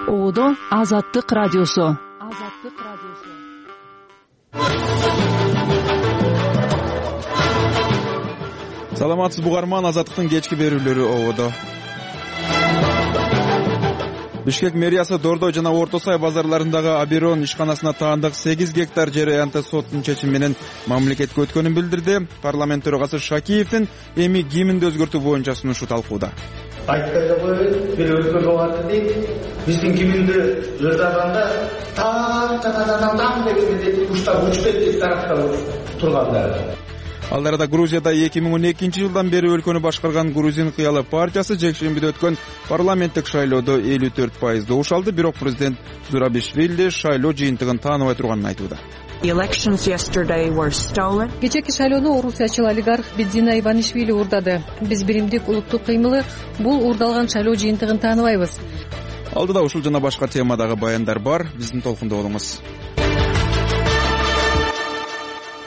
Оодо Азаттык радиосу. Саламатсызбы угарман, Азаттыктын кечки берүүлөрү Оодо. Бишкек мэриясы Дордой жана Орто Сай базарларындагы Аберон ишканасына таандык 8 гектар жер аянты соттун чечими менен мамлекетке өткөнүн билдирди. Парламент төрагасы Шакиевдин эми гимнди өзгөртүү боюнча сунушу талкууда. Айтпай да коебуз, бир өзгөртүү болот дейт. Биздин гимнди жазганда таң дегенде куштар учтеп деп тараптап тургандар. Ал арада Грузияда 2012 жылдан бери өлкөнү башкарган Грузин кыялы партиясы жекшембиде өткөн парламенттик шайлоодо 54% добуш алды, бирок президент Зурабишвили шайлоо жыйынтыгын тааныбай турганын айтууда. Кечээки шайлоону орусиячыл олигарх Бедзина Иванишвили уурдады. Биз биримдик улуттук кыймылы бул уурдалган шайлоо жыйынтыгын тааныбайбыз. Алдыда ушул жана башка темадагы баяндар бар. Биздин толкунда болуңуз.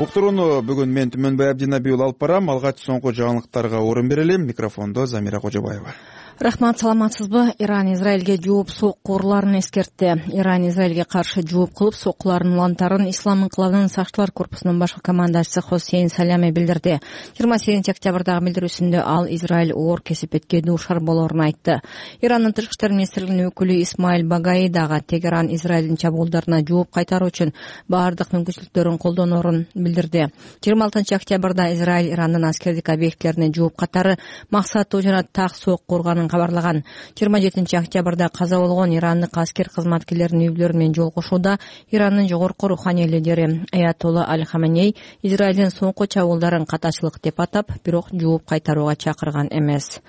Уктурууну бүгүн мен Түмөнбай Абдинабиул алып барам. Алгач соңку жаңылыктарга орун берели. Микрофондо Замира Кожобаева. Рахмат, саламатсызбы? Иран Израилге жооп соккурларын эскертти. Иран Израилге каршы жооп кылып соккулардын улантарын Ислам инкылабынын сакчылар корпусунун башкы командачысы Хосейн Салями билдирди. 28 октябрдагы билдирүүсүндө ал Израиль оор кесепетке дуушар болоорун айтты. Ирандын тышкы иштер министрлигинин өкүлү Исмаил Багаи дагы Тегеран Израилдин чабуулдарына жооп кайтаруу үчүн баардык мүмкүнчүлүктөрүн колдоноорун билдирди. 26 октябрда Израиль Ирандын аскердик объектилерине жооп катары максаттуу жана так сокку урганын кабарлаган. 27 октябрда каза болгон ирандык аскер кызматкерлеринин үй-бүлөлөрү менен жолугушууда Ирандын жогорку руханий лидери Аятолла Аль-Хаменей Израилдин соңку чабуулдарын катачылык деп атап, бирок жооп кайтарууга чакырган эмес.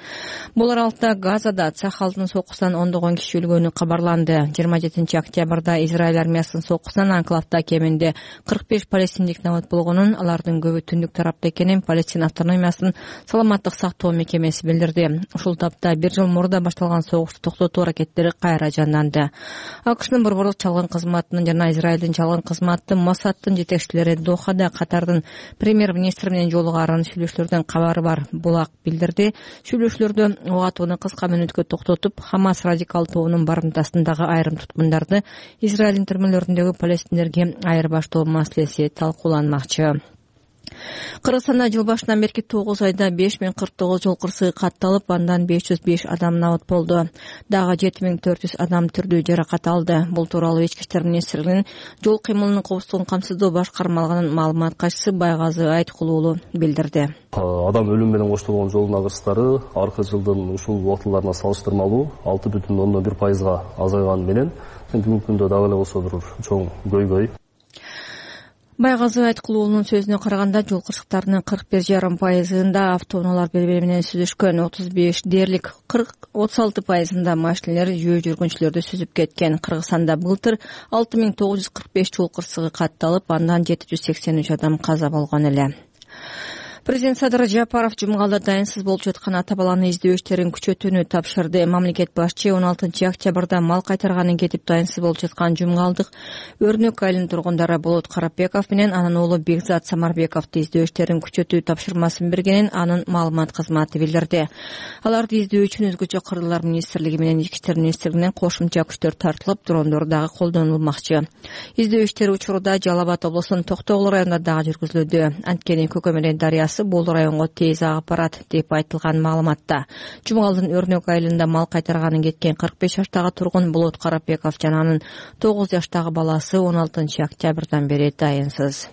Бул аралыкта Газада Цахалдын соккусунан ондогон киши өлгөнү кабарланды. 27 октябрда Израиль армиясынын соккусунан анклавда кеминде 45 палестиндик набат болгонун, алардын көбү түндүк тарапта экенин Палестин автономиясынын саламаттык сактоо мекемеси билдирди. Ушул тапта бир жыл мурда башталган согушту токтотуу аракеттери кайра жанданды. АКШнын борборлук чалгын кызматынын жана Израилдин чалгын кызматы Моссадтын жетекчилери Дохада Катардын премьер-министри менен жолугарын сүйлөшүүлөрдөн кабары бар. Булак билдирди. Сүйлөшүүлөрдө ок атууну кыска мүнөткө токтотуп, Хамас радикал тобунун барымтасындагы айрым туткундарды Израилдин түрмөлөрүндөгү палестиндерге айырбаштоо маселеси талкууланмакчы. Кыргызстанда жыл башынан берки 9 айда 5049 жол кырсыгы катталып, андан 505 адам набат болду. Дагы 7400 адам түрдүү жаракат алды. Бул тууралуу Ички иштер министрлигинин жол кыймылынын коопсуздугун камсыздоо башкармалыгынын маалымат катчысы Байгазы Айткул уулу билдирди. Адам өлүм менен коштолгон жолдун агырыстары аркы жылдын ушул убактыларына салыштырмалуу 6,1% азайганы менен бүгүнкү күндө дагы эле болсо бир чоң көйгөй. Байгазы Айткул уулунун сөзүнө караганда, жол кырсыктарынын 41,5%-ында автоунаалар бири-бири менен сүзүшкөн, 35 дээрлик 36%-ында машинелер жөө жүргүнчүлөрдү сүзүп кеткен. Кыргызстанда былтыр 6945 жол кырсыгы катталып, андан 783 адам каза болгон эле. Президент Садыр Жапаров жумгалда дайынсыз болуп жаткан ата-баланы издөө иштерин күчөтүүнү тапшырды. Мамлекет башчы 16 октябрда мал кайтарганын кетип дайынсыз болуп жаткан жумгалдык Өрнөк айылынын тургундары Болот Карапбеков менен анын уулу Бекзат Самарбековду издөө иштерин күчөтүү тапшырмасын бергенин анын маалымат кызматы билдирди. Аларды издөө үчүн өзгөчө кыргыздар министрлиги менен Ички иштер министрлигинен кошумча күчтөр тартылып, дрондор дагы колдонулмакчы. Издөө иштери учурда Жалал Абад облусунун Токтогул районунда дагы жүргүзүлүүдө. Анткени Көкөмөрөн дарыясы бул районго тез агып барат деп айтылган маалыматта. Жумгалдын Өрнөк айылында мал кайтарганын кеткен 45 жаштагы тургун Болот Карапбеков жана анын 9 жаштагы баласы 16 октябрдан бери дайынсыз.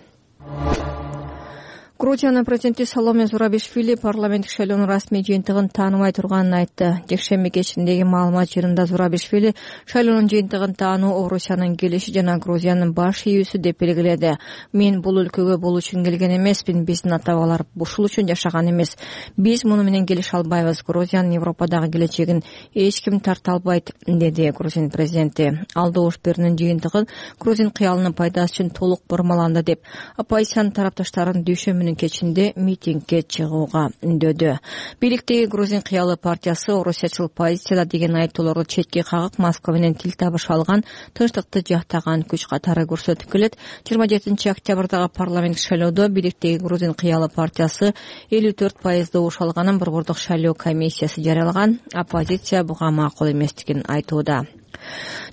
Грузиянын президенти Саломе Зурабишвили парламенттик шайлоонун расмий жыйынтыгын тааныбай турганын айтты. Жекшемби кечиндеги маалымат жыйынында Зурабишвили шайлоонун жыйынтыгын таануу Орусиянын келиши жана Грузиянын баш ийүүсү деп белгиледи. Мен бул өлкөгө бул үчүн келген эмесмин, биздин ата-бабалар ушул үчүн жашаган эмес. Биз муну менен келише албайбыз. Грузиянын Европадагы келечегин эч ким тарта албайт, деди Грузин президенти. Ал добуш берүүнүн жыйынтыгын Грузин кыялынын пайдасы үчүн толук бурмаланды деп оппозициянын тарапташтарын дүйшөмбүнүн кечинде митингге чыгууга үндөдү. Бийликтеги Грузин кыялы партиясы орусиячыл позицияда деген айыптоолорду четке кагып, Москва менен тил табыша алган, тынчтыкты жактаган күч катары көрсөтүп келет. 27 октябрдагы парламент шайлоодо бийликтеги Грузин кыялы партиясы 54% добуш алганын борбордук шайлоо комиссиясы жарыялаган. Оппозиция буга макул эместигин айтууда.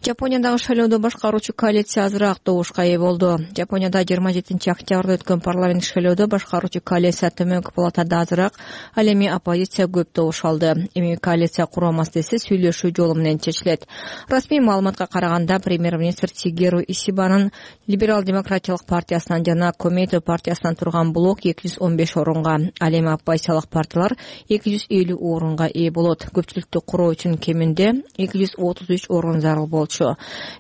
Жапониядагы шайлоодо башкаруучу коалиция азыраак добушка ээ болду. Жапонияда 27-октябрда өткөн парламенттик шайлоодо башкаруучу коалиция төмөнкү палатада азыраак, ал эми оппозиция көп добуш алды. Эми коалиция куруу маселеси сүйлөшүү жолу менен чечилет. Расмий маалыматка караганда премьер-министр Сигеру Исибанын либерал-демократиялык партиясынан жана Комейто партиясынан турган блок 215 орунга, ал эми оппозициялык партиялар 250 орунга ээ болот. Көпчүлүктү куруу үчүн кеминде 233 орун зарыл болчу.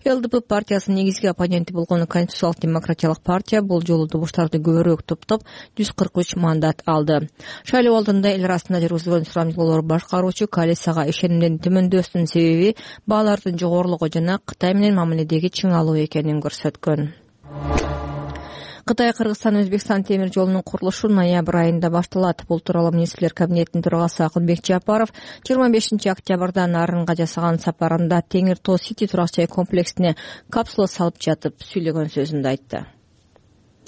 ЛДП партиясынын негизги оппоненти болгон Конституциялык демократиялык партия бул жолу добуштарды көбүрөөк топтоп 143 мандат алды. Шайлоо алдында эл арасында жүргүзүлгөн сурамжылоолор башкаруучу коалицияга ишенимдин төмөндөсүнүн себеби баалардын жогорулугу жана Кытай менен мамиледеги чыңалуу экенин көрсөткөн. Кытай, Кыргызстан, Өзбекстан темир жолунун курулушу ноябрь айында башталат. Бул тууралуу министрлер кабинетинин төрагасы Акылбек Жапаров 25-октябрда Нарынга жасаган сапарында Теңир Тоо Сити турак жай комплексине капсула салып жатып сүйлөгөн сөзүндө айтты.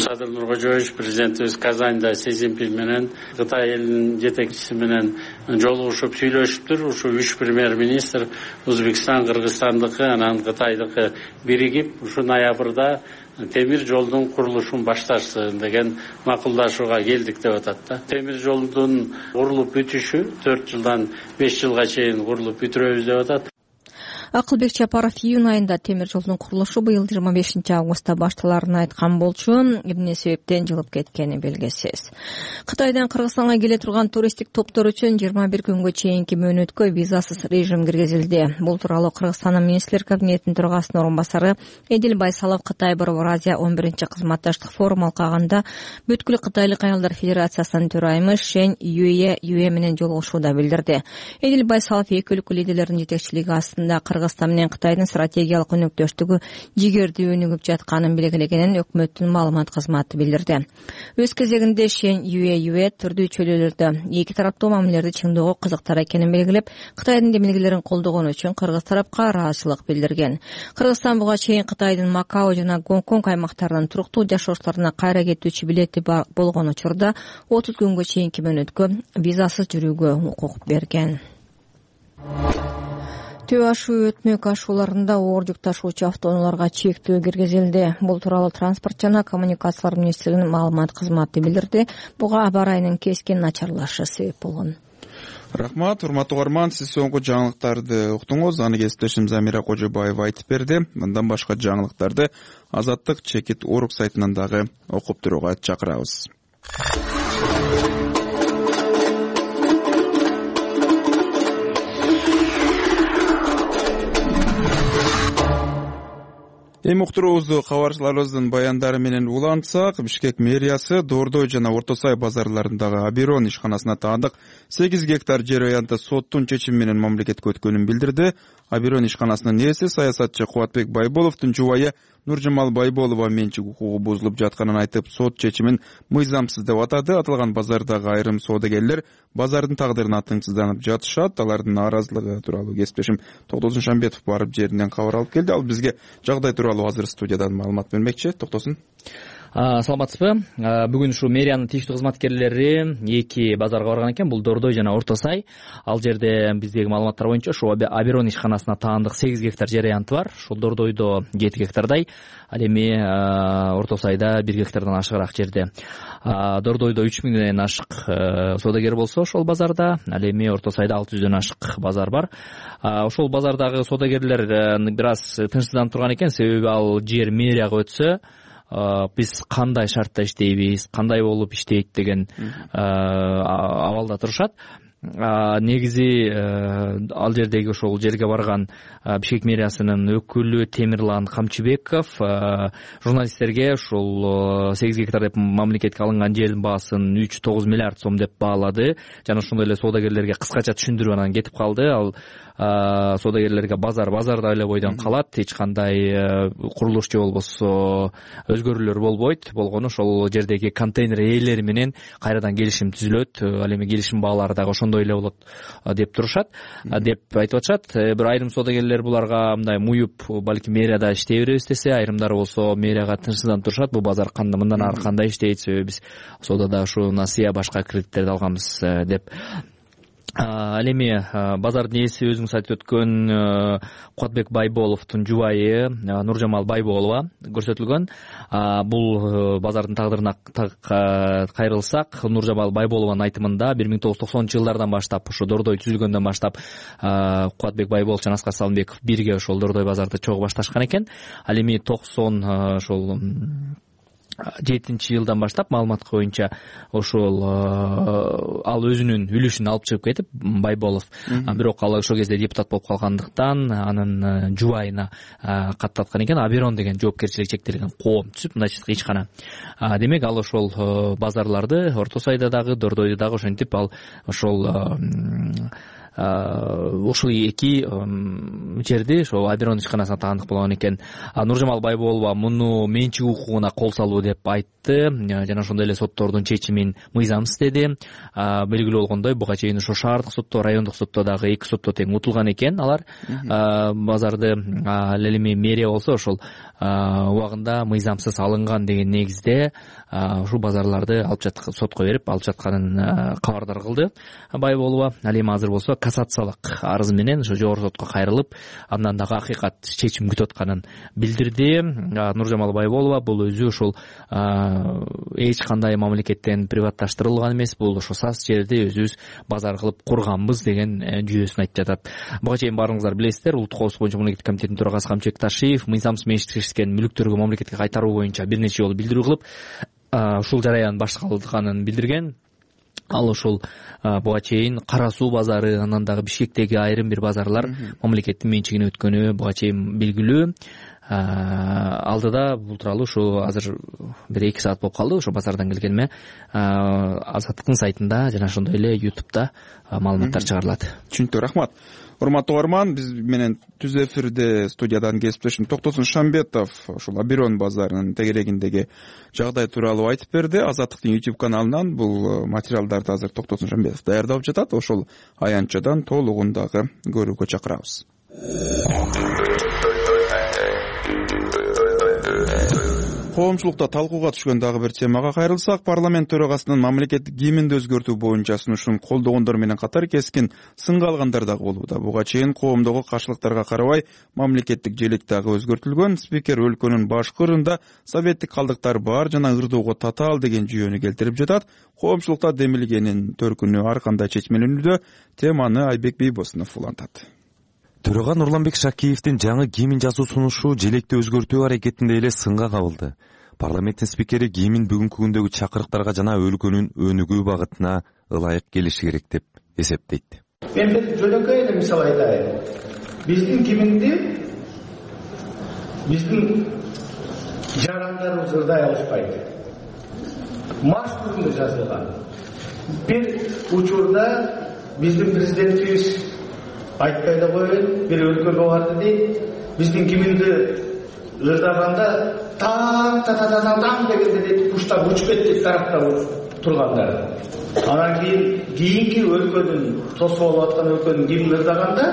Садыр Нуркожоевич президентибиз Казанда Си Цзиньпин менен Кытай элинин жетекчиси менен жолугушуп сүйлөшүптүр. Ушу 3 премьер-министр Өзбекстан, Кыргызстандыкы, анан Кытайдыкы биригип, ушу ноябрда темир жолдун курулушун башташсын деген макулдашууга келдик деп атат да. Темир жолдун курулуп бүтүшү 4 жылдан 5 жылга чейин курулуп бүтүрөбүз деп атат. Акылбек Жапаров июнь айында темир жолдун курулушу быйыл 25-августта башталарын айткан болчу. Эмне себептен жылып кеткени белгисиз. Кытайдан Кыргызстанга келе турган туристтик топтор үчүн 21 күнгө чейинки мөөнөткө визасыз режим киргизилди. Бул тууралуу Кыргызстандын министрлер кабинетинин төрагасынын орун басары Эдил Байсалов Кытай Борбор Азия 11-чи кызматташтык форум алкагында бүткүл Кытайлык аялдар федерациясынын төрайымы Шен Юэ менен жолугушууда билдирди. Эдил Байсалов эки өлкө лидерлеринин жетекчилиги астында Кыргызстан менен Кытайдын стратегиялык өнөктөштүгү жигердүү өнүгүп жатканын белгилегенин өкмөттүн маалымат кызматы билдирди. Өз кезегинде Шен Юэ түрдүү чөйрөлөрдө эки тараптуу мамилелерди чыңдоого кызыктар экенин белгилеп, Кытайдын демилгелерин колдогон үчүн кыргыз тарапка ыраазычылык билдирген. Кыргызстан буга чейин Кытайдын Макао жана Гонконг аймактарынан туруктуу жашоочуларына кайра кетүүчү билети болгон учурда 30 күнгө чейинки мөөнөткө визасыз жүрүүгө укук берген. Төө ашуу өтмөк ашууларында оор жүк ташуучу автоунааларга чектөө киргизилди. Бул тууралуу транспорт жана коммуникациялар министрлигинин маалымат кызматы билдирди. Буга аба ырайынын кескин начарлашы себеп болгон. Рахмат, урматтуу угарман, сиз соңку жаңылыктарды уктуңуз. Аны кесиптешим Замира Кожобаева айтып берди. Мындан башка жаңылыктарды Азаттык чекит Орг сайтынан дагы окуп турууга чакырабыз. Эми уктуруубузду кабарчыларыбыздын баяндары менен улантсак, Бишкек мэриясы Дордой жана Орто Сай базарларындагы Аберон ишканасына таандык 8 гектар жер аянты соттун чечими менен мамлекетке өткөнүн билдирди. Аберон ишканасынын ээси саясатчы Кубатбек Байболовдун жубайы Нуржамал Байболова менчик укугу бузулуп жатканын айтып, сот чечимин мыйзамсыз деп атады. Аталган базардагы айрым соодагерлер базардын тагдырына тыңсызданып жатышат. Алардын нааразылыгы тууралуу кесиптешим Токтосун Шамбетов барып жеринен кабар алып келди. Ал бизге жагдай тууралуу азыр студиядан маалымат бермекчи. Токтосун. Саламатсызбы? Бүгүн ушу мэриянын тийиштүү кызматкерлери эки базарга барган экен. Бул Дордой жана Орто Сай. Ал жерде биздеги маалыматтар боюнча ушу Аберон ишканасына таандык 8 гектар жер аянты бар. Ошол Дордойдо 7 гектардай, ал эми Орто Сайда 1 гектардан ашыгыраак жерде. Дордойдо 3000ден ашык соодагер болсо ошол базарда, ал эми Орто Сайда 600дөн ашык базар бар. Ошол базардагы соодагерлер бир аз тынчсызданып турган экен, себеби ал жер мэрияга өтсө биз кандай шартта иштейбиз, кандай болуп иштейт деген абалда турушат. Негизи ал жердеги ошол жерге барган Бишкек мэриясынын өкүлү Темирлан Камчыбеков журналисттерге ушул 8 гектар деп мамлекетке алынган жердин баасын 3,9 миллиард сом деп баалады жана ошондой эле соодагерлерге кыскача түшүндүрүп анан кетип калды. Ал соодагерлерге базарда эле бойдон калат, эч кандай курулуш же болбосо өзгөрүүлөр болбойт. Болгону ошол жердеги контейнер ээлери менен кайрадан келишим түзүлөт. Ал эми келишим баалары дагы ошондой эле болот деп турушат, деп айтып атышат. Бир айрым соодагерлер буларга мындай муюп, балким мэрияда иштей беребиз десе, айрымдары болсо мэрияга тынчсызданып турушат. Бул базар мындан ары кандай иштейт, себеби биз соодада ушу насыя башка кредиттерди алганбыз деп. Ал эми базардын ээси өзүңүз айтып өткөн Кубатбек Байболовдун жубайы Нуржамал Байболова көрсөтүлгөн. Бул базардын тагдырына кайрылсак, Нуржамал Байболованын айтымында 1990-жылдардан баштап, ошо Дордой түзүлгөндөн баштап Кубатбек Байболов жана Аскар Салымбеков бирге ошол Дордой базарды чогуу башташкан экен. Ал эми 90 ошол 7-жылдан баштап маалыматка боюнча ошол ал өзүнүн үлүшүн алып чыгып кетип, Байболов, бирок ал ошол кезде депутат болуп калгандыктан анын жубайына каттаткан экен. Аберон деген жоопкерчилиги чектелген коом түзүп, мындайча ичкана. Демек ал ошол базарларды Орто Сайда дагы, Дордойдо дагы ошентип ал ошол эки жерди ошо Аберон ишканасына таандык болгон экен. Нуржамал Байболова муну менчик укугуна кол салуу деп айтты жана ошондой эле соттордун чечимин мыйзамсыз деди. Белгилүү болгондой, буга чейин ошо шаардык сотто, райондук сотто дагы эки сотто тең утулган экен алар базарды. Ал эми мэрия болсо ошол убагында мыйзамсыз алынган деген негизде ушул базарларды сотко берип алып жатканын кабардар кылды Байболова. Ал эми азыр болсо кассациялык арыз менен ошо жогорку сотко кайрылып, андан дагы акыйкат чечим күтүп атканын билдирди. Нуржамал Байболова бул өзү ошол эч кандай мамлекеттен приватташтырылган эмес, бул ошо сас жерди өзүбүз базар кылып курганбыз деген жүйөсүн айтып жатат. Буга чейин баарыңыздар билесиздер, Улуттук коопсуздук боюнча мамлекеттик комитеттин төрагасы Камчыбек Ташиев мыйзамсыз менчиктешкен мүлктөргө мамлекетке кайтаруу боюнча бир нече жолу билдирүү кылып, ушул жараян башталганын билдирген. Ал ошол буга чейин Кара Суу базары, анан дагы Бишкектеги айрым бир базарлар мамлекеттин менчигине өткөнү буга чейин белгилүү. Алдыда бул тууралуу ушу азыр 1-2 саат болуп калды ошо базардан келгениме Азаттыктын сайтында жана ошондой эле YouTube'да маалыматтар чыгарылат. Түшүнүктүү, рахмат. Урматтуу угарман, биз менен түз эфирде студиядан кесиптешим Токтосун Шамбетов ушул Аберон базарынын тегерегиндеги жагдай тууралуу айтып берди. Азаттыктын YouTube каналынан бул материалдарды азыр Токтосун Шамбетов даярдап жатат. Ошол аянтчадан толугун дагы көрүүгө чакырабыз. Коомчулукта талкууга түшкөн дагы бир темага кайрылсак, парламент төрагасынын мамлекеттик гимнди өзгөртүү боюнча сунушун колдогондор менен катар кескин сынга алгандар дагы болууда. Буга чейин коомдогу каршылыктарга карабай мамлекеттик желек дагы өзгөртүлгөн. Спикер өлкөнүн башкы ырында советтик калдыктар бар жана ырдоого татаал деген жүйөнү келтирип жатат. Коомчулукта демилгенин төркүнү ар кандай чечмелөнүүдө, теманы Айбек Бейбосунов улантат. Төрага Нурланбек Шакиевдин жаңы гимн жазуу сунушу желекти өзгөртүү аракетинде эле сынга кабылды. Парламенттин спикери гимн бүгүнкү күндөгү чакырыктарга жана өлкөнүн өнүгүү багытына ылайык келиши керек деп эсептейт. Мен бир жөнөкөй эле мисал айтайын. Биздин гимнди биздин жарандарыбыз ырдай алышпайт. Марш түрүндө жазылган. Бир учурда биздин президентибиз айтпай да коеюн, бир өлкөгө барды дейт, биздин гимнди ырдаганда таң дегенде дейт, куштар учуп кетти тараптап тургандар. Анан кийинки өлкөнүн тосуп алып аткан өлкөнүн гимнин ырдаганда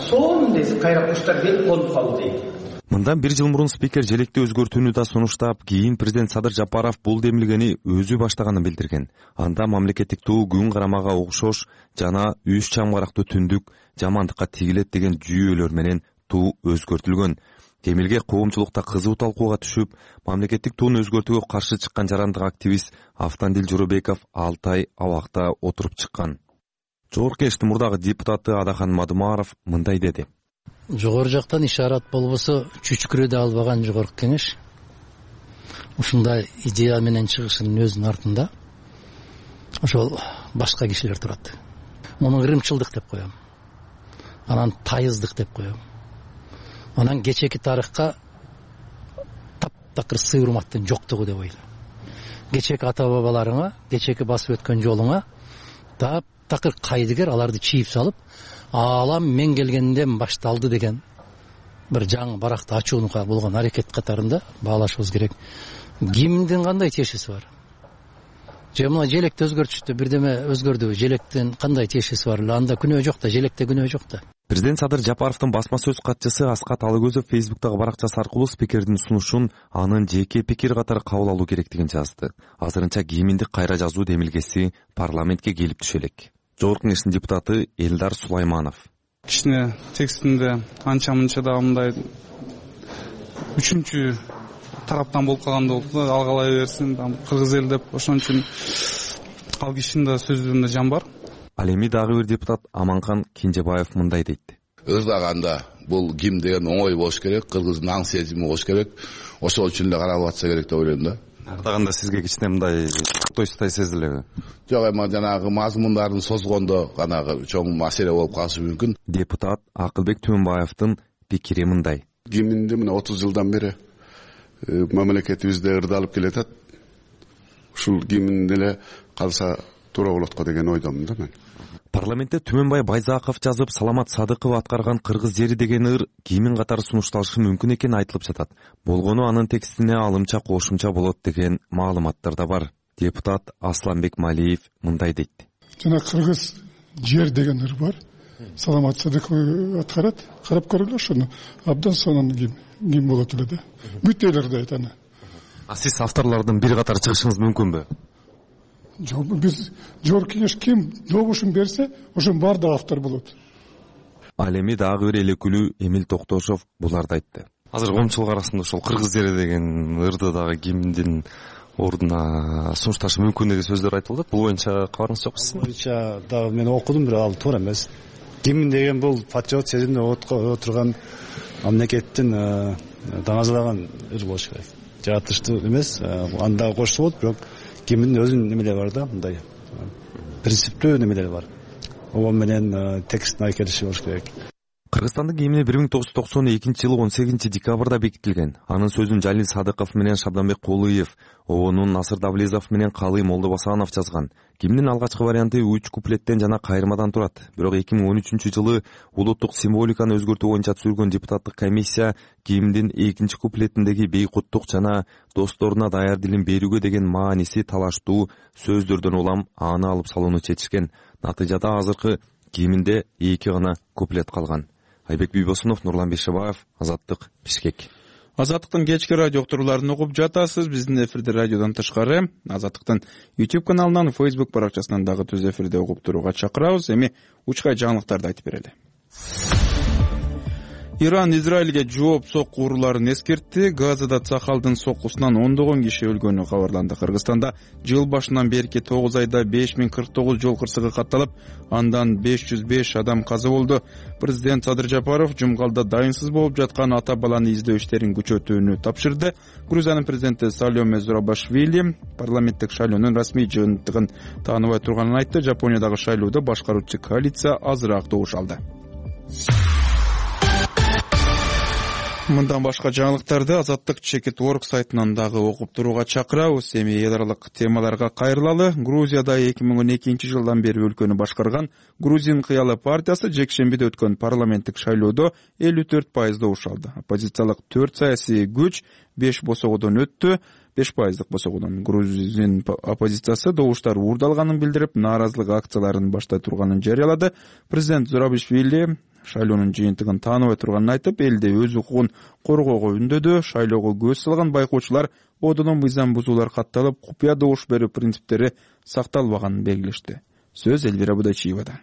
сонун дейт, кайра куштар келип конуп калды дейт. Мындан 1 жыл мурун спикер желекти өзгөртүүнү да сунуштап, кийин президент Садыр Жапаров бул демилгени өзү баштаганын билдирген. Анда мамлекеттик туу күн карамага окшош жана 3 чамгарактуу түндүк жамандыкка тигилет деген жүйөлөр менен туу өзгөртүлгөн. Демилге коомчулукта кызуу талкууга түшүп, мамлекеттик тууну өзгөртүүгө каршы чыккан жарандык активист Автандил Жоробеков 6 ай абакта отуруп чыккан. Жогорку Кеңештин мурдагы депутаты Адахан Мадумаров мындай деди. Жогору жактан ишарат болбосо чүчкүрөдө албаган Жогорку Кеңеш ушундай идея менен чыгышынын өзүнүн артында ошол башка кишилер турат. Муну ырымчылдык деп коем. Анан тайыздык деп коем. Анан кечеки тарыхка таптакыр сый урматтын жоктугу деп ойлойм. Кечеки ата бабаларыңа, кечеки басып өткөн жолуңа таптакыр кайдыгер аларды чийип салып, алам мен келгенден башталды деген бир жаңы баракты ачуунуга болгон аракет катарында баалашыбыз керек. Гимндин кандай тиешеси бар? Же мына желекти өзгөртүштү, бирдеме өзгөрдү, желектин кандай тиешеси бар? Анда күнөө жок да, желекте күнөө жок да. Президент Садыр Жапаровдун басма сөз катчысы Аскат Алыкөзов Фейсбуктагы баракчасы аркылуу спикердин сунушун анын жеке пикир катары кабыл алуу керектигин жазды. Азырынча гимнди кайра жазуу демилгеси парламентке келип түшө элек. Жогорку Кеңештин депутаты Элдар Сулайманов. Кичине текстинде анча мынча да мындай үчүнчү тараптан болуп калгандай болду да, алгалай берсин, кыргыз эл деп, ошон үчүн ал кишинин да сөзүндө жан бар. Ал эми дагы бир депутат Аманкан Кенжебаев мындай дейт. Ырдаганда бул гимн деген оңой болуш керек, кыргыздын аң сезими болуш керек. Ошол үчүн эле каралып атса керек деп ойлойм да. Ырдаганда сизге кичине мындай тойсутай сезилеби? Жок, эми жанагы мазмундарын созгондо канагы чоң маселе болуп калышы мүмкүн. Депутат Акылбек Түмөнбаевдин пикири мындай. Гимнди мына 30 жылдан бери мамлекетибизде ырдалып келатат. Ушул гимн эле калса туура болот го деген ойдомун да мен. Парламентте Түмөнбай Байзаков жазып, Саламат Садыков аткарган кыргыз жери деген ыр гимн катары сунушталышы мүмкүн экени айтылып жатат. Болгону анын текстине алымча кошумча болот деген маалыматтар да бар. Депутат Асланбек Малиев мындай дейт. Жана кыргыз жер деген ыр бар. Саламат Садыков аткарат. Карап көргүлө ошону. Абдан сонун гимн болот эле да. Бүт эл ырдайт аны. Сиз авторлордун бир катары чыгышыңыз мүмкүнбү? Жок, биз Жогорку Кеңеш ким добушун берсе, ошонун баардыгы автор болот. Ал эми дагы бир элекүлүү Эмил Токтошов буларды айтты. Азыр коомчулук арасында ошол кыргыз жери деген ырды дагы гимндин ордуна сунушташы мүмкүн деген сөздөр айтылды. Бул боюнча кабарыңыз жокпу сиздин? Боюнча дагы мен окудум, бирок ал туура эмес. Гимн деген бул патриот сезимде отурган мамлекеттин даңазалаган ыр болуш керек. Жаратылыштуу эмес, анда кошсо болот, бирок гимндин өзүнүн немелери бар да, мындай принциптүү немелери бар. Ого менен текстин айкелиши болуш керек. Кыргызстандын гимни 1992-жылы 18-декабрда бекитилген. Анын сөзүн Жалил Садыков менен Шабданбек Кулыев, обонун Насыр Давлезов менен Калый Молдобасанов жазган. Гимндин алгачкы варианты 3 куплеттен жана кайрмадан турат. Бирок 2013-жылы улуттук символиканы өзгөртүү боюнча түзүлгөн депутаттык комиссия гимндин 2 куплетиндеги бейкуттук жана досторуна даяр дилин берүүгө деген мааниси талаштуу сөздөрдөн улам аны алып салууну чечишкен. Натыйжада азыркы гимнде 2 гана куплет калган. Айбек Бийбосунов, Нурлан Бешебаев, Азаттык, Бишкек. Азаттыктын кечки радио уктурууларын угуп жатасыз. Биздин эфирде радиодон тышкары Азаттыктын YouTube каналынан, Facebook баракчасынан дагы түз эфирде угуп турууга чакырабыз. Эми учкай жаңылыктарды айтып берели. Иран Израилге жооп сокку урууларын эскертти. Газада Цахалдын соккусунан ондогон киши өлгөнү кабарланды. Кыргызстанда жыл башынан берки 9 айда 5049 жол кырсыгы катталып, андан 505 адам каза болду. Президент Садыр Жапаров жумгалда дайынсыз болуп жаткан ата баланы издөө иштерин күчөтүүнү тапшырды. Грузиянын президенти Саломе Зурабашвили парламенттик шайлоонун расмий жыйынтыгын тааныбай турганын айтты. Жапониядагы шайлоодо башкаруучу коалиция азыраак добуш алды. Мындан башка жаңылыктарды Азаттык Чекит.org сайтынан дагы окуп турууга чакырабыз. Эми эл аралык темаларга кайрылалы. Грузияда 2012-жылдан бери өлкөнү башкарган Грузин кыялы партиясы жекшембиде өткөн парламенттик шайлоодо 54% добуш алды. Оппозициялык 4 саясий күч 5 босогодон өттү. 5% босогодон Грузин оппозициясы добуштар уурдалганын билдирип, нааразылык акцияларын баштай турганын жарыялады. Президент Зурабишвили шайлоонун жыйынтыгын тааныбай турганын айтып, элде өз укугун коргоого үндөдү. Шайлоого көз салган байкоочулар одондон мыйзам бузуулар катталып, купуя добуш берүү принциптери сакталбаганын белгилешти. Сөз Элвира Будачиевада.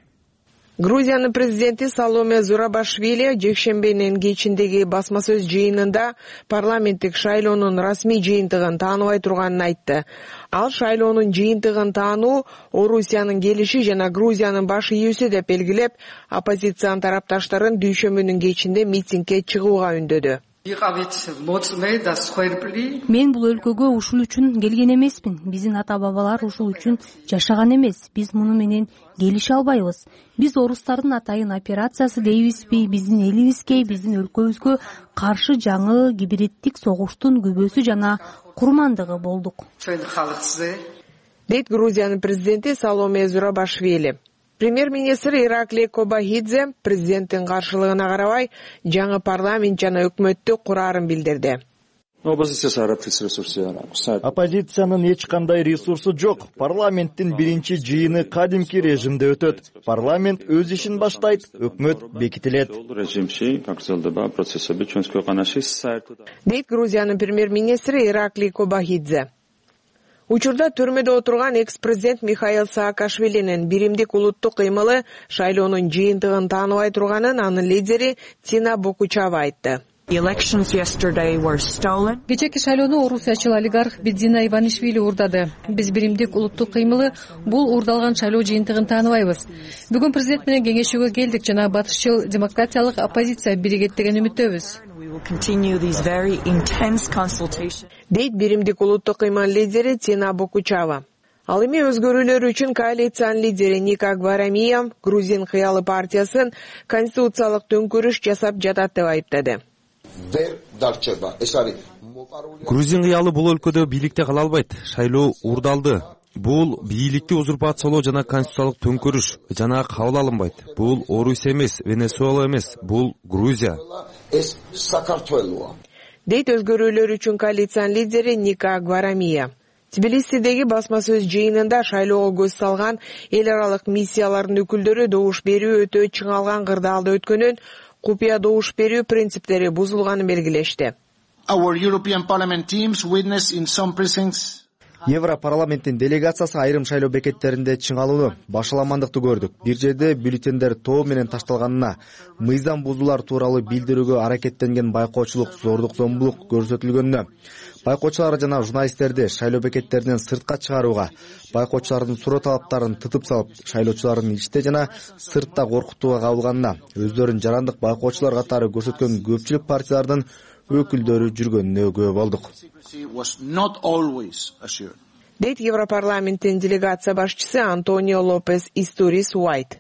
Грузиянын президенти Саломе Зурабашвили жекшембинин кечиндеги басма сөз жыйынында парламенттик шайлоонун расмий жыйынтыгын тааныбай турганын айтты. Ал шайлоонун жыйынтыгын таануу Орусиянын келиши жана Грузиянын баш ийүүсү деп белгилеп, оппозициянын тарапташтарын дүйшөмбүнүн кечинде митингге чыгууга үндөдү. Мен бул өлкөгө ушул үчүн келген эмесмин. Биздин ата бабалар ушул үчүн жашаган эмес. Биз муну менен келише албайбыз. Биз орустардын атайын операциясы дейбизби, биздин элибизге, биздин өлкөбүзгө каршы жаңы гибриддик согуштун күбөсү жана курмандыгы болдук. Дейт Грузиянын президенти Саломе Зурабашвили. Премьер-министр Ираклий Кобахидзе президенттин каршылыгына карабай жаңы парламент жана өкмөттү курарын билдирди. Оппозициянын эч кандай ресурсу жок. Парламенттин биринчи жыйыны кадимки режимде өтөт. Парламент өз ишин баштайт, өкмөт бекитилет. Дейт Грузиянын премьер-министри Ираклий Кобахидзе. Учурда түрмөдө отурган экс-президент Михаил Саакашвилинин биримдик улуттук кыймылы шайлоонун жыйынтыгын тааныбай турганын анын лидери Тина Бокучава айтты. Кечээки шайлоону орусиячыл олигарх Бидзина Иванишвили уурдады. Биз биримдик улуттук кыймылы бул уурдалган шайлоо жыйынтыгын тааныбайбыз. Бүгүн президент менен кеңешүүгө келдик жана батышчыл демократиялык оппозиция биригет деген үмүттөбүз. Дейт биримдик улуттук кыймыл лидери Тина Бокучава. Ал эми өзгөрүүлөр үчүн коалициянын лидери Ника Гварамия Грузин кыялы партиясын конституциялык төңкөрүш жасап жатат деп айыптады. Грузин кыялы бул өлкөдө бийликте кала албайт. Шайлоо уурдалды. Бул бийликти узурпациялоо жана конституциялык төңкөрүш жана кабыл алынбайт. Бул Орусия эмес, Венесуэла эмес, бул Грузия. Дейт өзгөрүүлөр үчүн коалициянын лидери Ника Гварамия. Тбилисидеги басма сөз жыйынында шайлоого көз салган эл аралык миссиялардын өкүлдөрү добуш берүү өтө чыңалган кырдаалда өткөнүн, купуя добуш берүү принциптери бузулганын белгилешти. Европарламенттин делегациясы айрым шайлоо бекеттеринде чыңалууну, башаламандыкты көрдүк. Бир жерде бюллетендер тоо менен ташталганына, мыйзам бузуулар тууралуу билдирүүгө аракеттенген байкоочулук, зордук зомбулук көрсөтүлгөнүнө, байкоочулар жана журналисттерди шайлоо бекеттеринен сыртка чыгарууга, байкоочулардын суроо талаптарын тытып салып, шайлоочулардын ичте жана сыртта коркутууга кабылганына, өздөрүн жарандык байкоочулар катары көрсөткөн көпчүлүк партиялардын өкүлдөрү жүргөнүнө күбө болдук. Дейт Европарламенттин делегация башчысы Антонио Лопес Истурис Уайт.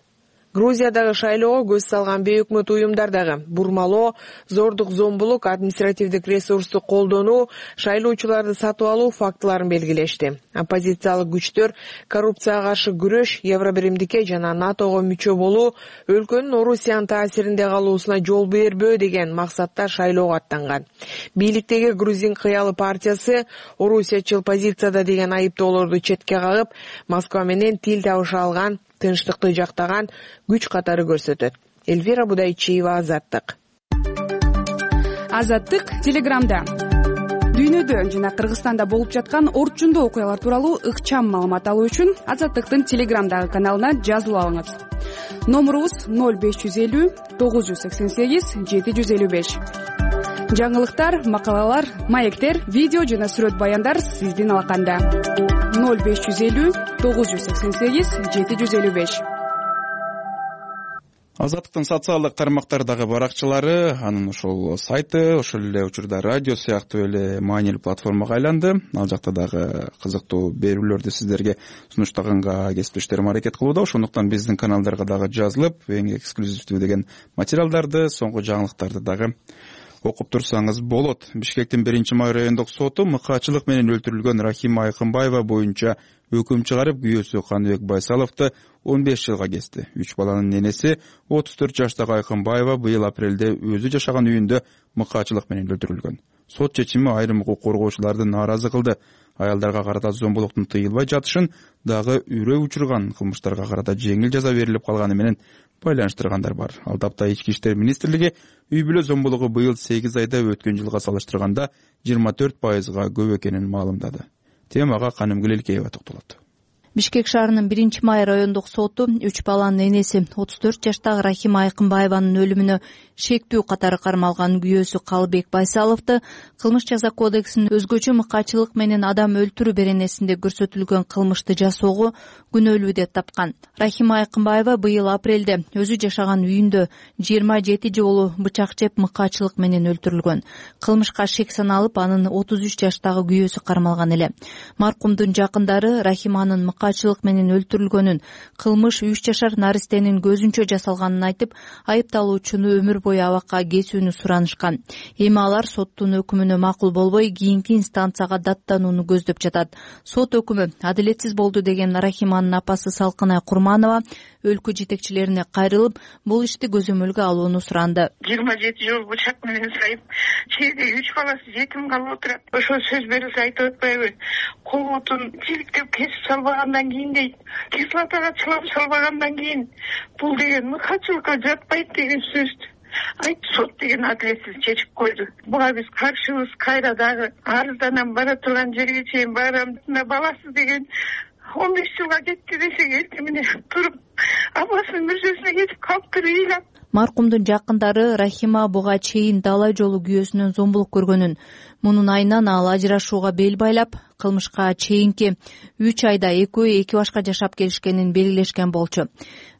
Грузиядагы шайлоого көз салган бейөкмөт уюмдар дагы бурмалоо, зордук зомбулук, административдик ресурсту колдонуу, шайлоочуларды сатып алуу фактыларын белгилешти. Оппозициялык күчтөр коррупцияга каршы күрөш, Евробиримдикке жана НАТОго мүчө болуу, өлкөнүн Орусиянын таасиринде калуусуна жол бербөө деген максатта шайлоого аттанган. Бийликтеги Грузин кыялы партиясы орусиячыл позицияда деген айыптоолорду четке кагып, Москва менен тил табыша алган, тынчтыкты жактаган күч катары көрсөтөт. Эльвира Будайчиева, Азаттык. Азаттык Телеграмда. Дүйнөдө жана Кыргызстанда болуп жаткан орчундуу окуялар тууралуу ыкчам маалымат алуу үчүн Азаттыктын Телеграмдагы каналына жазылып алыңыз. Номурубуз 0550 988 755. Жаңылыктар, макалалар, маектер, видео жана сүрөт баяндар сиздин алаканда. 0550 988 755. Азаттыктын социалдык тармактардагы баракчалары, анын ошол сайты, ошол эле учурда радио сыяктуу эле маанилүү платформага айланды. Ал жакта дагы кызыктуу берүүлөрдү сиздерге сунуштаганга кесиптештерим аракет кылууда. Ошондуктан биздин каналдарга дагы жазылып, эң эксклюзивдүү деген материалдарды, соңку жаңылыктарды дагы окуп турсаңыз болот. Бишкектин 1-май райондук соту мыкаачылык менен өлтүрүлгөн Рахима Айкынбаева боюнча өкүм чыгарып, күйөөсү Каныбек Байсаловду 15 жылга кести. 3 баланын ненеси 34 жаштагы Айкынбаева быйыл апрелде өзү жашаган үйүндө мыкаачылык менен өлтүрүлгөн. Сот чечими айрым укук коргоочуларды нааразы кылды. Аялдарга карата зомбулуктун тыйылбай жатышын дагы үрөө учурган кылмыштарга карата жеңил жаза берилип калганы менен байланыштыргандар бар. Ал тапта Ички иштер министрлиги үй бүлө зомбулугу быйыл 8 айда өткөн жылга салыштырганда 24%га көп экенин маалымдады. Темага Канымгүл Элкеева токтолот. Бишкек шаарынын 1-май райондук соту 3 баланын энеси 34 жаштагы Рахима Айкынбаеванын өлүмүнө шектүү катары кармалган күйөөсү Калыбек Байсаловду кылмыш жаза кодексинин өзгөчө мыкаачылык менен адам өлтүрүү беренесинде көрсөтүлгөн кылмышты жасоого күнөөлүү деп тапкан. Рахима Айкынбаева быйыл апрелде өзү жашаган үйүндө 27 жолу бычак жеп мыкаачылык менен өлтүрүлгөн. Кылмышка шек саналып, анын 33 жаштагы күйөөсү кармалган эле. Маркумдун жакындары Рахиманын мыкаачылык менен өлтүрүлгөнүн, кылмыш 3 жашар наристенин көзүнчө жасалганын айтып, айыпталуучуну өмүр бою абакка кесүүнү суранышкан. Эми алар соттун өкүмүнө макул болбой, кийинки инстанцияга даттанууну көздөп жатат. Сот өкүмү адилетсиз болду деген Рахиманын апасы Салкынай Курманова өлкө жетекчилерине кайрылып, бул ишти көзөмөлгө алууну суранды. 27 жыл бычак менен сайып, чейде 3 баласы жетим калып отурат. Ошо сөз берилсе айтып атпайбы? Колутун тиликтеп кесип салбагандан кийин дейт, кислотага чылап салбагандан кийин бул деген мыкаачылыкка жатпайт деген сөз. айтты, сот деген адилетсиз чечип койду. Буга биз каршыбыз. Кайра дагы арызданам, бара турган жерге чейин барам. Мына баласы деген 15 жылга кетти десек, эртең менен туруп апасынын мүрзөсүнө кетип калыптыр ыйлап. Маркумдун жакындары Рахима буга чейин дала жолу күйөөсүнөн зомбулук көргөнүн, мунун айынан ал ажырашууга бел байлап, кылмышка чейинки 3 айда экөө эки башка жашап келишкенин белгилешкен болчу.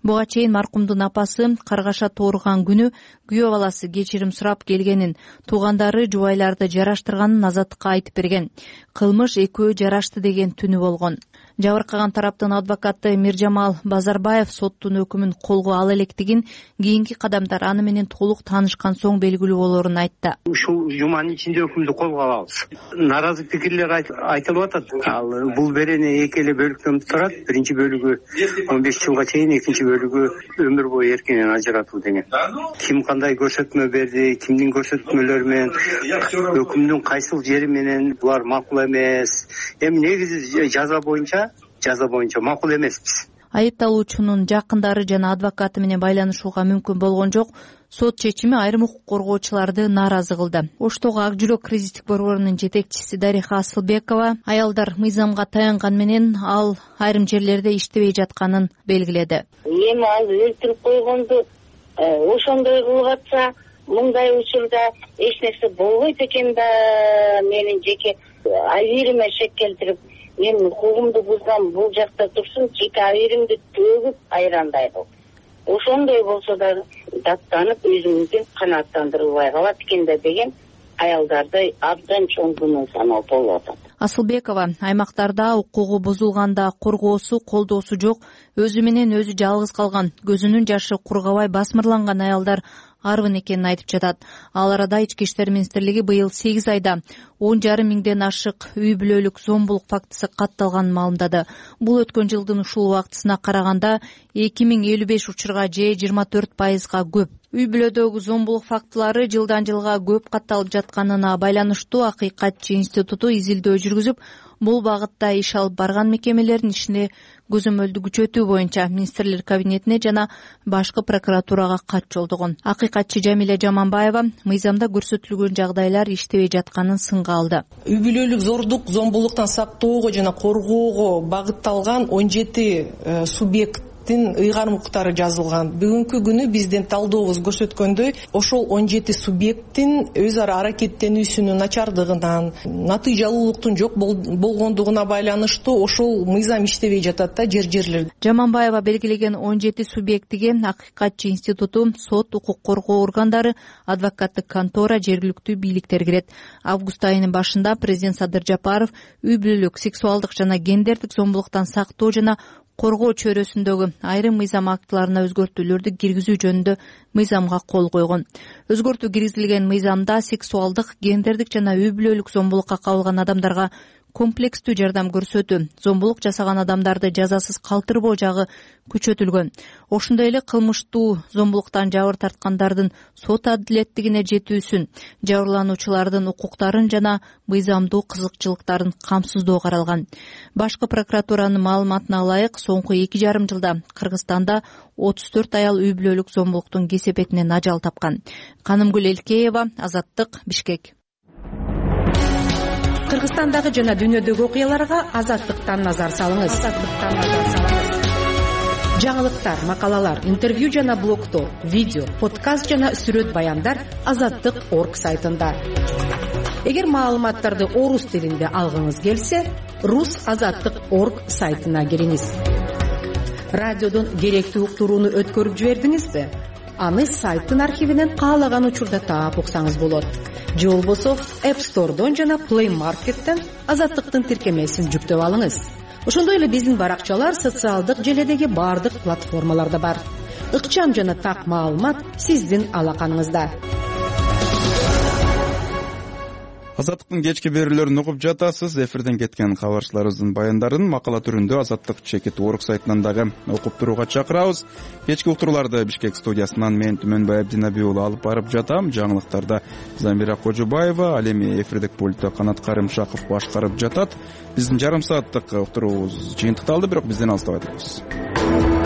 Буга чейин маркумдун апасы каргаша тууруган күнү күйөө баласы кечирим сурап келгенин, туугандары жубайларды жараштырганын Азаттыкка айтып берген. Кылмыш экөө жарашты деген түнү болгон. Жабыркаган тараптын адвокаты Миржамал Базарбаев соттун өкүмүн колго ала электигин, кийинки кадамдар аны менен толук таанышкан соң белгилүү болорун айтты. Ушул жуманын ичинде өкүмдү колго алабыз. Наразы пикирлер айтылып атат. Ал бул берени эки эле бөлүктөн турат. Биринчи бөлүгү 15 жылга чейин, экинчи бөлүгү өмүр бою эркинен ажыратуу деген. Ким кандай көрсөтмө берди, кимдин көрсөтмөлөрү менен, өкүмдүн кайсыл жери менен булар макул эмес. Эми негизи жаза боюнча макул эмеспиз. Айыпталуучунун жакындары жана адвокаты менен байланышууга мүмкүн болгон жок. Сот чечими айрым укук коргоочуларды нааразы кылды. Оштогу Ак жүрөк кризистик борборунун жетекчиси Дариха Асылбекова аялдар мыйзамга таянган менен ал айрым жерлерде иштебей жатканын белгиледи. Эми ал өлтүрүп койгонду ошондой кылып атса, мындай учурда эч нерсе болбойт экен да, менин жеке абийириме шек келтирип, мен укугумду бузган бул жакта турсун, жеке абийиримди төгүп айрандай кылып. Ошондой болсо да даттанып, өзүмдү канааттандырылбай калат экен да деген аялдарды абдан чоң күнөө саноо болуп атат. Асылбекова аймактарда укугу бузулганда коргоосу, колдоосу жок, өзү менен өзү жалгыз калган, көзүнүн жашы кургабай басмырланган аялдар арбын экенин айтып жатат. Ал арада Ички иштер министрлиги быйыл 8 айда 10,5 миңден ашык үй бүлөлүк зомбулук фактысы катталганын маалымдады. Бул өткөн жылдын ушул убактысына караганда 2055 учурга же 24%га көп. Үй бүлөдөгү зомбулук фактылары жылдан жылга көп катталып жатканына байланыштуу Акыйкатчы институту изилдөө жүргүзүп, бул багытта иш алып барган мекемелердин ишине көзөмөлдү күчөтүү боюнча министрлер кабинетине жана башкы прокуратурага кат жолдогон. Акыйкатчы Жамиля Жаманбаева мыйзамда көрсөтүлгөн жагдайлар иштебей жатканын сынга алды. Үй бүлөлүк зордук, зомбулуктан сактоого жана коргоого багытталган 17 субъект ыйгарым укуктары жазылган. Бүгүнкү күнү биздин талдообуз көрсөткөндөй, ошол 17 субъекттин өз ара аракеттенүүсүнүн начардыгынан, натыйжалуулуктун жок болгондугуна байланыштуу ошол мыйзам иштебей жатат да жерлерде. Жаманбаева белгилеген 17 субъектиге Акыйкатчы институту, сот, укук коргоо органдары, адвокаттык контора, жергиликтүү бийликтер кирет. Август айынын башында президент Садыр Жапаров үй бүлөлүк, сексуалдык жана гендердик зомбулуктан сактоо жана коргоо чөйрөсүндөгү айрым мыйзам актыларына өзгөртүүлөрдү киргизүү жөнүндө мыйзамга кол койгон. Өзгөртүү киргизилген мыйзамда сексуалдык, гендердик жана үй бүлөлүк зомбулукка кабылган адамдарга комплекстүү жардам көрсөтүү, зомбулук жасаган адамдарды жазасыз калтырбоо жагы күчөтүлгөн. Ошондой эле кылмыштуу зомбулуктан жабыр тарткандардын сот адилеттигине жетүүсүн, жабырлануучулардын укуктарын жана мыйзамдуу кызыкчылыктарын камсыздоо каралган. Башкы прокуратуранын маалыматына ылайык, соңку 2,5 жылда Кыргызстанда 34 аял үй бүлөлүк зомбулуктун кесепетинен ажал тапкан. Канымгүл Элкеева, Азаттык, Бишкек. Кыргызстандагы жана дүйнөдөгү окуяларга Азаттыктан назар салыңыз. Жаңылыктар, макалалар, интервью жана блогтор, видео, подкаст жана сүрөт баяндар Азаттык.орг сайтында. Эгер маалыматтарды орус тилинде алгыңыз келсе, rus.azattik.org сайтына кириңиз. Радиодон керектүү уктурууну өткөрүп жибердиңизби? Аны сайттын архивинен каалаган учурда таап уксаңыз болот. Же болбосо App Store'дон жана Play Market'тен Азаттыктын тиркемесин жүктөп алыңыз. Ошондой эле биздин баракчалар социалдык желедеги бардык платформаларда бар. Ыкчам жана так маалымат сиздин алаканыңызда. Азаттыктын кечки берүүлөрүн угуп жатасыз. Эфирден кеткен кабарчыларыбыздын баяндарын макала түрүндө Азаттык.org сайтынан дагы окуп турууга чакырабыз. Кечки уктурууларды Бишкек студиясынан мен Түмөнбай Абдинаби уулу алып барып жатам. Жаңылыктарда Замира Кожубаева, ал эми эфирдик пультту Канат Карымшаков башкарып жатат. Биздин жарым сааттык уктуруубуз жыйынтыкталды, бирок бизден алыстабай туруңуз.